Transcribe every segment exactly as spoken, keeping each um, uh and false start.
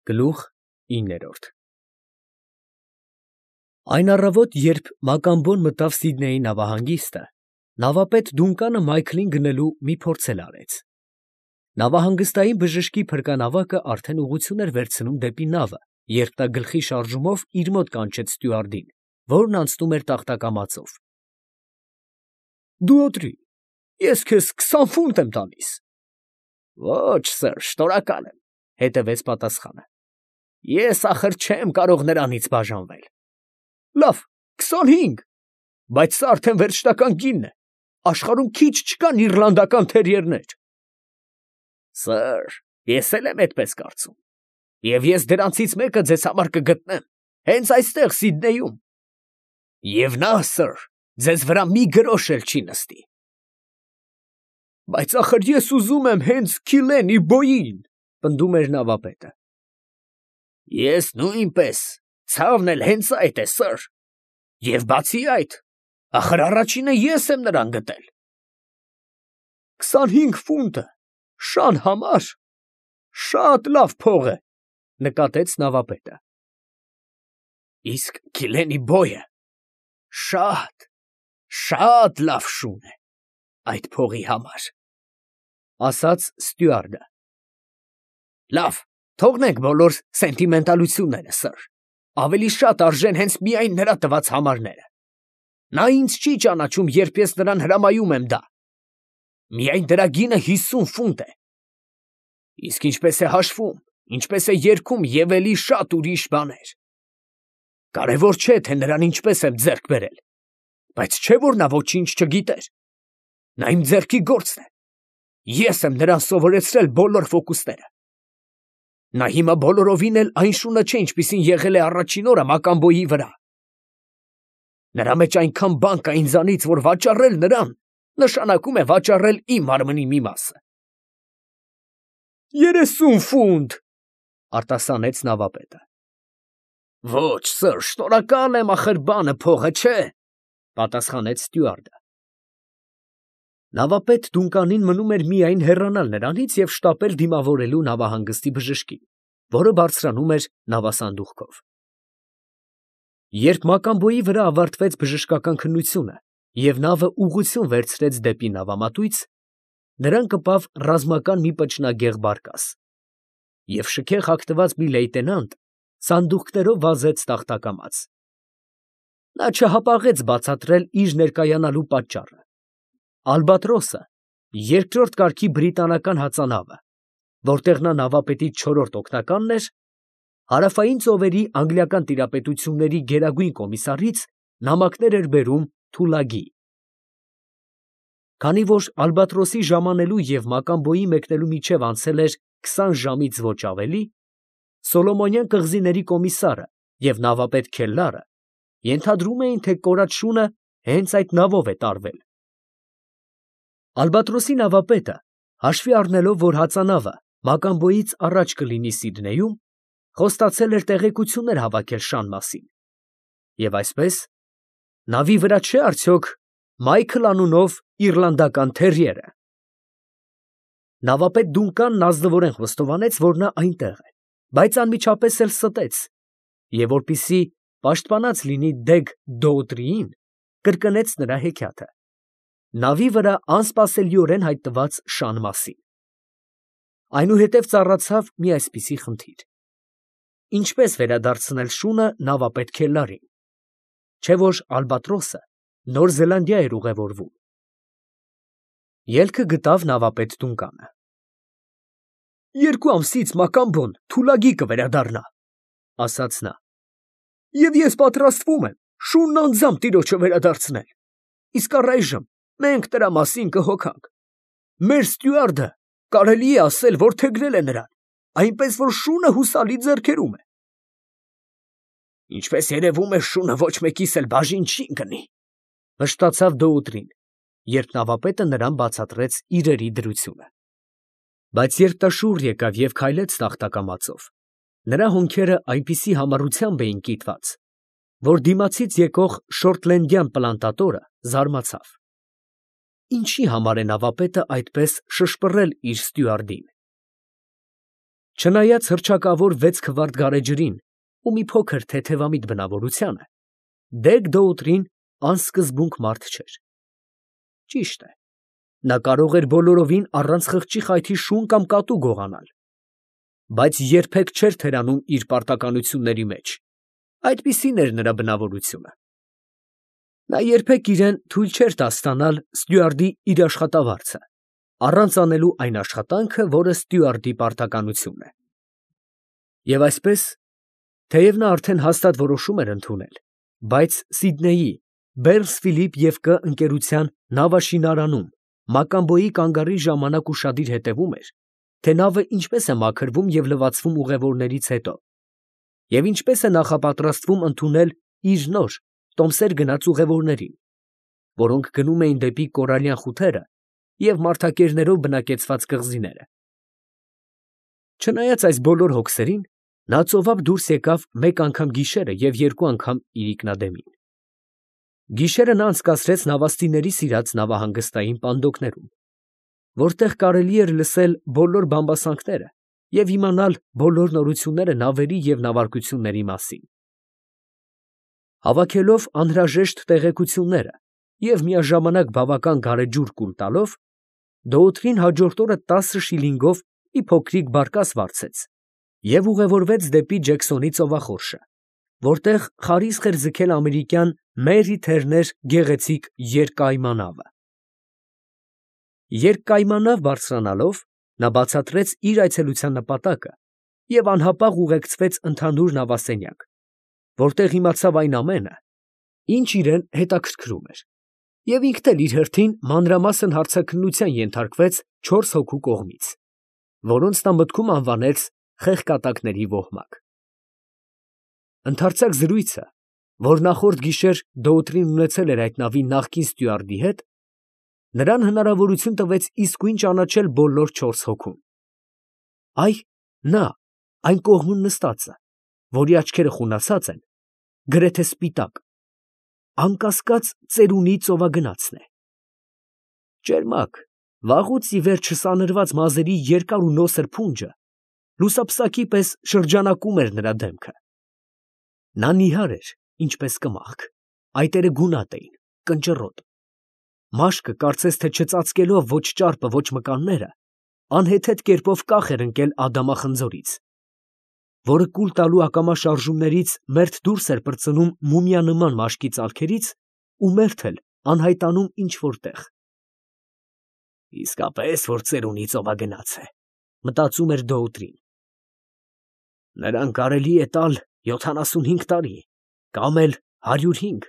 Գլուխ իններորդ Այն առավոտ, երբ Մակամբոն մտավ Սիդնեյի նավահանգիստը, նավապետ Դունկանը Մայքլին գնելու մի փորձել արեց. նավահանգստային բժշկի փրկանավակը արդեն ուղղություն էր վերցնում դեպի նավը, երբ նա գլխի շարժումով իր մոտ կանչեց ստյուարդին, որն անցնում էր տախտակամածով. Դու օտրի, ես քեզ քսան ֆունտ եմ տալիս։ Ոչ, սըր, շնորհակալ եմ, հետևեց պատասխանը։ Ես ախր չեմ կարող նրանից բաժանվել։ Լավ, քսանհինգ, բայց սա արդեն վերջնական գինն է, աշխարհում քիչ չկան իռլանդական թերիերներ։ Սըր, ես էլ եմ այդպես կարծում, և ես դրանցից մեկը ձեզ համար կգտնեմ, հենց այստեղ Սիդնեյում։ Եվ նա, սըր, ձեզ վրա մի գրոշ էլ չի նստի։ Բայց ախր ես ուզում եմ հենց Քիլենի բոյին, պնդում էր նավապետը։ Ես նույնպես, ցավն էլ հենց այդ է, սըր, և բացի այդ, ախր առաջինը ես եմ նրան գտել։ Քսանհինգ ֆունտը շան համար շատ լավ փող է, նկատեց նավապետը։ Իսկ Քիլենի բոյը շատ, շատ լավ շուն է այդ փողի համար, ասաց ստյուարդը։ Լավ, թողնենք բոլոր սենտիմենտալությունները, սըր, ավելի շատ արժեն հենց միայն նրա տված համարները։ Նա ինձ չի ճանաչում, երբ ես նրան հրամայում եմ դա։ Միայն դրա գինը հիսուն ֆունտ է։ Իսկ ինչպես է հաշվում, ինչպես է երգում և էլի շատ ուրիշ բաներ։ Կարևոր չէ, թե նրան ինչպես եմ ձեռք բերել, բայց չէ, որ նա ոչինչ չգիտեր։ Նա իմ ձեռքի գործն է։ Ես եմ նրան սովորեցրել բոլոր ֆոկուսները։ Նա հիմա բոլորովին էլ այն շունը չէ, ինչպիսին եղել է առաջին օրը Մակամբոյի վրա։ Նրա մեջ այնքան բան կա ինձանից, որ վաճառել նրան նշանակում է վաճառել իմ մարմնի մի մասը։ Երեսուն ֆունտ, արտասանեց նավապետը։ Ոչ, սըր, շնորհակալ եմ, ախր բանը փողը չէ, պատասխանեց ստյուարդը։ Նավապետ Դունկանին մնում էր միայն հեռանալ նրանից և շտապել դիմավորելու նավահանգստի բժշկին, որը բարձրանում էր նավասանդուղքով։ Երբ Մակամբոյի վրա ավարտվեց բժշկական քննությունը և նավը ուղղություն վերցրեց դեպի նավամատույց, նրան կպավ ռազմական մի պճնագեղ բարկաս, և շքեղ հագնված մի լեյտենանտ սանդուղքներով վազեց տախտակամաց։ Նա չհապաղեց բացատրել իր ներկայանալու պատճառը։ Ալբատրոսը, երկրորդ կարգի բրիտանական հածանավը, որտեղ նա նավապետի չորրորդ օգնականն էր, հարավային ծովերի անգլիական տիրապետությունների գերագույն կոմիսարից նամակներ էր բերում Թուլագի։ Քանի որ Ալբատրոսի ժամանելու և Մակամբոյի մեկնելու միջև անցել էր քսան ժամից ոչ ավելի, Սոլոմոնյան կղզիների կոմիսարը և նավապետ Քելլարը ենթադրում էին, թե կորած շունը հենց այդ նավով է տարվել։ Ալբատրոսի նավապետը, հաշվի առնելով, որ հածանավը Մակամբոյից առաջ կլինի Սիդնեյում, խոստացել էր տեղեկություններ հավաքել շան մասին։ Եվ այսպես, նավի վրա չէ՞ արդյոք Մայքլ անունով իռլանդական թերիերը։ Նավապետ Դունկանն ազնվորեն խոստովանեց, որ նա այնտեղ է, բայց անմիջապես էլ ստեց, և որպեսզի պաշտպանած լինի Դեգ Դոուտրիին, կրկնեց նրա հեքիաթը, նավի վրա անսպասելիորեն հայտնված շան մասին։ Այնուհետև ծառացավ մի այսպիսի խնդիր. ինչպես վերադարձնել շունը նավապետ Քելլարին, չէ՞ որ Ալբատրոսը Նոր Զելանդիա էր ուղևորվում։ Ելքը գտավ նավապետ Դունկանը։ Երկու ամսից Մակամբոն Թուլագի կվերադառնա, ասաց նա, և ես պատրաստվում եմ շունն անձամբ տիրոջը վերադարձնել, իսկ առայժմ մենք նրա մասին կհոգանք։ Մեր ստյուարդը կարելի է ասել, որ թեգնել է նրան, այնպես որ շունը հուսալի ձեռքերում է։ Ինչպես երևում է, շունը ոչ մեկիս էլ բաժին չի ընկնի, վշտացավ Դոուտրին, երբ նավապետը նրան բացատրեց իրերի դրությունը։ Բայց երբ նա շուռ եկավ և քայլեց տախտակամածով, նրա հոնքերը այնպիսի համառությամբ էին կիտված, որ դիմացից եկող շորթլենդյան պլանտատորը զարմացավ։ Ինչի համար է նավապետը այդպես շշպռել իր ստյուարդին։ Չնայած հռչակավոր վեց քվարտ գարեջրին ու մի փոքր թեթևամիտ բնավորությանը, Դեգ Դոուտրին անսկզբունք մարդ չէր։ Ճիշտ է, նա կարող էր բոլորովին առանց խղճի խայթի շուն կամ կատու գողանալ, բայց երբեք չէր թերանում իր պարտականությունների մեջ, այդպիսին էր նրա բնավորությունը։ Նա երբեք իրան թույլ չէր տա ստանալ ստյուարդի իր աշխատավարձը, առանց անելու այն աշխատանքը, որը ստյուարդի պարտականությունն է։ Եվ այսպես, թեև նա արդեն հաստատ որոշում էր ընդունել, բայց Սիդնեյի Բեռնս֊Ֆիլիպ և Կ ընկերության նավաշինարանում մակամբոյի կանգառի ժամանակ ուշադիր հետևում էր, թե նավը ինչպես է մաքրվում և լվացվում ուղևորներից հետո, և ինչպես է նախապատրաստվում ընդունել իր նոր, տոմսեր գնած ուղևորներին, որոնք գնում էին դեպի կորալյան խութերը և մարդակերներով բնակեցված կղզիները։ Չնայած այս բոլոր հոգսերին, նա ծովափ դուրս եկավ մեկ անգամ գիշերը և երկու անգամ իրիկնադեմին։ Գիշերը նա անցկացրեց նավաստիների սիրած նավահանգստային պանդոկներում, որտեղ կարելի էր լսել բոլոր բամբասանքները և իմանալ բոլոր նորությունները նավերի և նավարկությունների մասին։ Հավաքելով անհրաժեշտ տեղեկությունները և միաժամանակ բավական գարեջուր կուլ տալով, Դոուտրին հաջորդ օրը տասը շիլինգով մի փոքրիկ բարկաս վարձեց և ուղևորվեց դեպի Ջեքսոնի ծովախորշը, որտեղ խարիսկ էր ձգել ամերիկյան Մերի Թերներ գեղեցիկ երկկայմանավը։ Երկկայմանավ բարձրանալով, նա բացատրեց իր այցելության նպատակը և անհապաղ ուղեկցվեց ընդհանուր նավասենյակ, որտեղ իմացավ այն ամենը, ինչ իրան հետաքրքրում էր, և ինքն էլ իր հերթին մանրամասն հարցաքննության ենթարկվեց չորս հոգու կողմից, որոնց նա մտքում անվանեց խեղկատակների ոհմակ։ Ընդարձակ զրույցը, որ նախորդ գիշեր Դոուտրին ունեցել էր այդ նավի նախկին ստյուարդի հետ, նրան հնարավորություն տվեց իսկույն ճանաչել բոլոր չորս հոգուն։ Այ նա, այն կողմում նստածը, որի աչքերը խունացած են, գրեթե սպիտակ, անկասկած ծերունի ծովագնացն է։ Ճերմակ, վաղուց ի վեր չսանրված մազերի երկար ու նոսր փունջը լուսապսակի պես շրջանակում էր նրա դեմքը։ Նա նիհար էր, ինչպես կմախք, այտերը գունատ էին, կնճռոտ, մաշկը կարծես թե չծածկելով ոչ ճարպը, ոչ մկանները, անհեթեթ կերպով կախ էր ընկել ադամախնձորից, որը կուլ տալու ակամա շարժումներից մերթ դուրս էր պրծնում մումիանման մաշկի ծալքերից ու մերթ էլ անհայտանում ինչ֊որ տեղ։ «Իսկապես որ ծերունի ծովագնաց է, ֊ մտածում էր Դոուտրին. ֊ նրան կարելի է տալ յոթանասունհինգ տարի, կամ էլ հարյուր հինգ,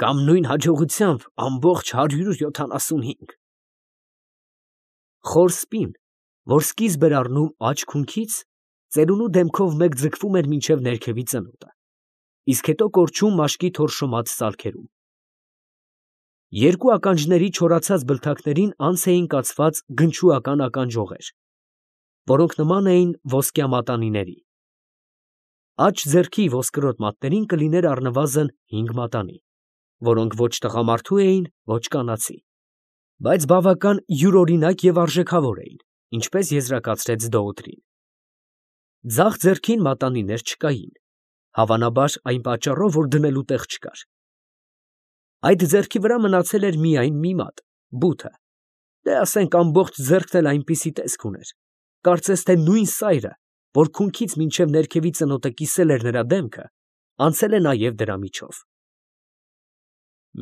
կամ նույն հաջողությամբ ամբողջ հարյուր յոթանասունհինգ»։ Խոր սպին, որ սկիզբ էր առնում աջ քունքից, ծերունու դեմքով մեկ ձգվում էր մինչև ներքևի ծնոտը, իսկ հետո կորչում մաշկի թորշոմած ծալքերում։ Երկու ականջների չորացած բլթակներին անց էին կացված գնչուական ականջողեր, որոնք նման էին ոսկյա մատանիների։ Աջ ձեռքի ոսկրոտ մատներին կլիներ առնվազն հինգ մատանի, որոնք ոչ տղամարդու էին, ոչ կանացի, բայց բավական յուրօրինակ և արժեքավոր էին, ինչպես եզրակացրեց Դոուտրին։ Ձախ ձեռքին մատանիներ չկային, հավանաբար այն պատճառով, որ դնելու տեղ չկար։ Այդ ձեռքի վրա մնացել էր միայն մի մատ, բութը, դե ասենք ամբողջ ձեռքն էլ այնպիսի տեսք ուներ, կարծես թե նույն սայրը, որ քունքից մինչև ներքևի ծնոտը կիսել էր նրա դեմքը, անցել է նաև դրա միջով։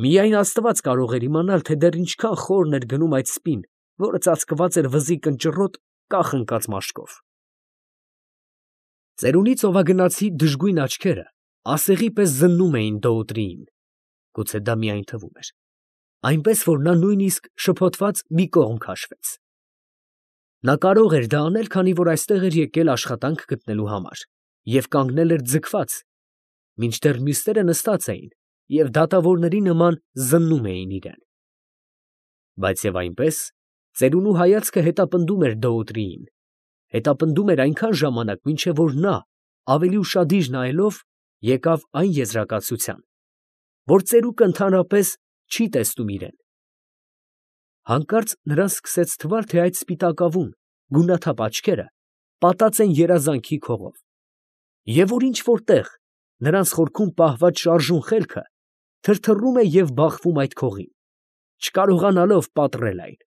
Միայն աստված կարող էր իմանալ, թե դեռ ինչքան խորն էր գնում այդ սպին, որը ծածկված էր վզի կնճռոտ, կախ ընկած մաշկով։ Ծերունի ծովագնացի դժգույն աչքերը ասեղի պես զննում էին Դոուտրիին, գուցե դա միայն թվում էր, այնպես որ նա նույնիսկ շփոթված մի կողմ քաշվեց։ Նա կարող էր դա անել, քանի որ այստեղ էր եկել աշխատանք գտնելու համար և կանգնել էր ձգված, մինչդեռ մյուսները նստած էին և դատավորների նման զննում էին իրան։ Բայց և այնպես, ծերունու հայացքը հետապնդում էր Դոուտրիին, հետապնդում էր այնքան ժամանակ, մինչև որ նա, ավելի ուշադիր նայելով, եկավ այն եզրակացության, որ ծերուկը ընդհանրապես չի տեսնում իրան։ Հանկարծ նրան սկսեց թվալ, թե այդ սպիտակավուն, գունաթափ աչքերը պատած են երազանքի քողով, և որ ինչ֊որ տեղ նրանց խորքում պահված շարժուն խելքը թրթռում է և բախվում այդ քողին, չկարողանալով պատռել այն։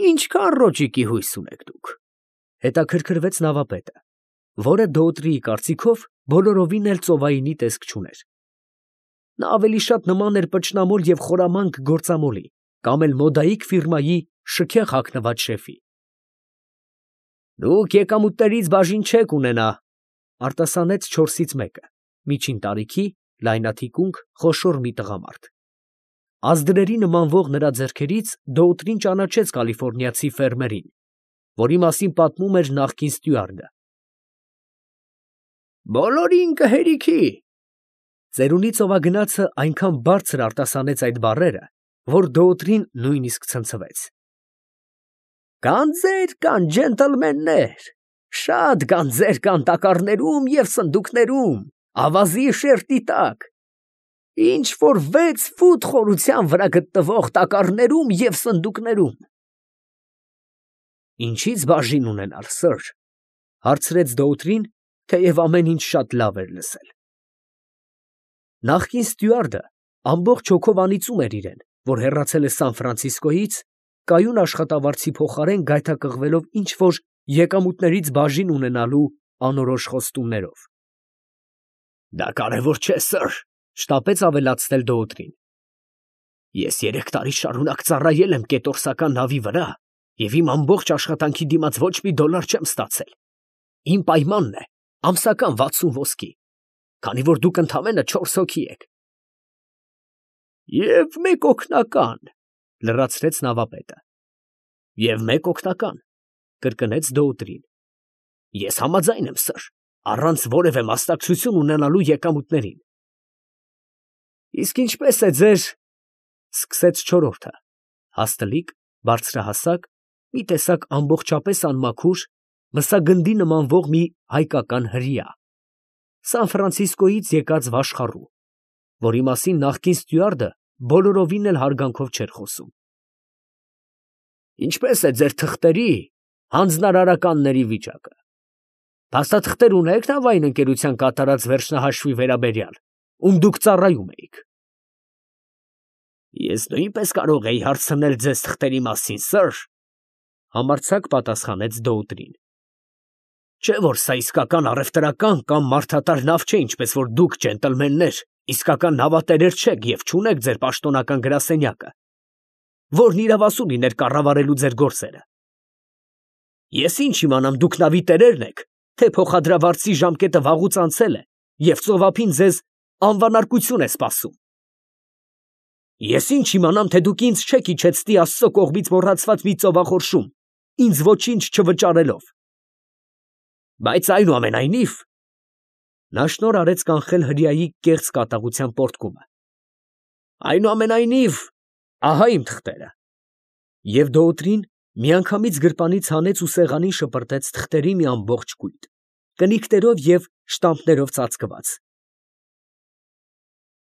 «Ինչքան ռոճիկի հույս ունեք դուք», ֊ հետաքրքրվեց նավապետը, որը Դոուտրիի կարծիքով բոլորովին էլ ծովայինի տեսք չուներ. նա ավելի շատ նման էր պճնամոլ և խորամանկ գործամոլի կամ էլ մոդայիկ ֆիրմայի շքեղ հագնված շեֆի։ «Դուք եկամուտներից բաժին չեք ունենա», ֊ արտասանեց չորսից մեկը, միջին տարիքի, լայնաթիկունք, խոշոր մի տղամարդ։ Ազդրերի նմանվող նրա ձեռքերից Դոուտրին ճանաչեց կալիֆոռնիացի ֆերմերին, որի մասին պատմում էր նախկին ստյուարդը։ «Բոլորին կհերիքի», ծերունի ծովագնացը այնքան բարձր արտասանեց այդ բառերը, որ Դոուտրին նույնիսկ ցնցվեց։ «Գանձեր կան, ջենտլմեններ, շատ գանձեր կան տակառներում և սնդուկներում, ավազի շերտի տակ, ինչ որ վեց ֆուտ խորության վրա գտնվող տակառներում և սնդուկներում»։ «Ինչի՞ց բաժին ունենալ, սըր, ֊ հարցրեց Դոուտրին, թեև ամեն ինչ շատ լավ էր լսել։ Նախկին ստյուարդը ամբողջ հոգով անիծում էր իրեն, որ հեռացել է Սան Ֆրանցիսկոյից, կայուն աշխատավարձի փոխարեն գայթակղվելով ինչ֊որ եկամուտներից բաժին ունենալու անորոշ խոստումներով։ «Դա կարևոր չէ, սըր, ֊ շտապեց ավելացնել Դոուտրին։ Ես երեք տարի շարունակ ծառայել եմ կետորսական նավի վրա և իմ ամբողջ աշխատանքի դիմաց ոչ մի դոլար չեմ ստացել։ Իմ պայմանն է ամսական վաթսուն ոսկի, քանի որ դուք ընդամենը չորս հոգի եք»։ «Եվ մեկ օգնական, ֊ լրացրեց նավապետը։ «Եվ մեկ օգնական, ֊ կրկնեց Դոուտրին։ Ես համաձայն եմ, սըր, առանց որևէ մասնակցություն ունենալու եկամուտներին»։ «Իսկ ինչպե՞ս է ձեր…» ֊ սկսեց չորրորդը, հաստլիկ, բարձրահասակ, մի տեսակ ամբողջապես անմաքուր, մսագնդի նմանվող մի հայկական հրեա, Սան Ֆրանցիսկոյից եկած վաշխառու, որի մասին նախկին ստյուարդը բոլորովին էլ հարգանքով չէր խոսում։ «Ինչպե՞ս է ձեր թղթերի հանձնարարականների վիճակը։ Փաստաթղթեր ունե՞ք նավային ընկերության կատարած վերջնահաշվի վերաբերյալ, ում դուք ծառայում էիք»։ «Ես նույնպես կարող էի հարցնել ձեզ թղթերի մասին, սըր, ֊ համարձակ պատասխանեց Դոուտրին։ Չէ՞ որ սա իսկական առևտրական կամ մարդատար նավ չէ, ինչպես որ դուք, ջենտլմեններ, իսկական նավատերեր չեք և չունեք ձեր պաշտոնական գրասենյակը, որն իրավասու լիներ կառավարելու ձեր գործերը։ Ես ինչ իմանամ, դուք նավի տերերն եք, թե փոխադրավարձի ժամկետը վաղուց անցել է և ծովափին ձեզ անվանարկություն է սպասում։ Ես ինչ իմանամ, թե դուք ինձ չեք իջեցնի Աստծո կողմից մոռացված մի ծովախորշում, ինձ ոչինչ չվճարելով։ Բայց այնուամենայնիվ…» նա շնորհ արեց կանխել հրեայի կեղծ կատաղության պոռթկումը։ «Այնուամենայնիվ, ահա իմ թղթերը»։ Եվ Դոուտրին միանգամից գրպանից հանեց ու սեղանին շպրտեց թղթերի մի ամբողջ կույտ, կնիկներով և շտամպներով ծածկված,